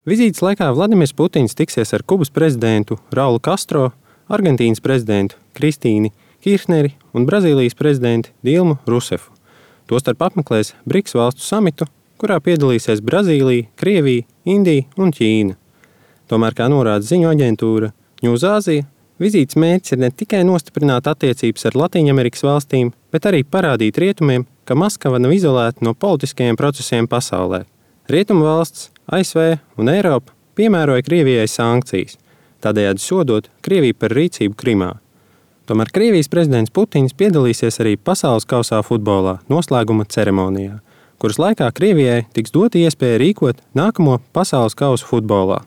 Vizītes laikā Vladimirs Putins tiksies ar Kubas prezidentu Raulu Castro, Argentīnas prezidentu Kristīni Kirhneri un Brazīlijas prezidentu Dilmu Rusefu. Tostarp apmeklēs BRICS valstu samitu, kurā piedalīsies Brazīlija, Krievija, Indija un Ķīna. Tomēr, kā norāda ziņu aģentūra Ņūzāzija, vizītes mērķis ir ne tikai nostiprināt attiecības ar Latīņamerikas valstīm, bet arī parādīt rietumiem, ka Maskava nav izolēta no politiskajiem procesiem pasaulē. Rietumu valsts, ASV un Eiropa piemēroja Krievijai sankcijas, tādējādi sodot Krieviju par rīcību Krimā. Tomēr Krievijas prezidents Putins piedalīsies arī pasaules kausā futbolā noslēguma ceremonijā, kuras laikā Krievijai tiks dota iespēja rīkot nākamo pasaules kausu futbolā.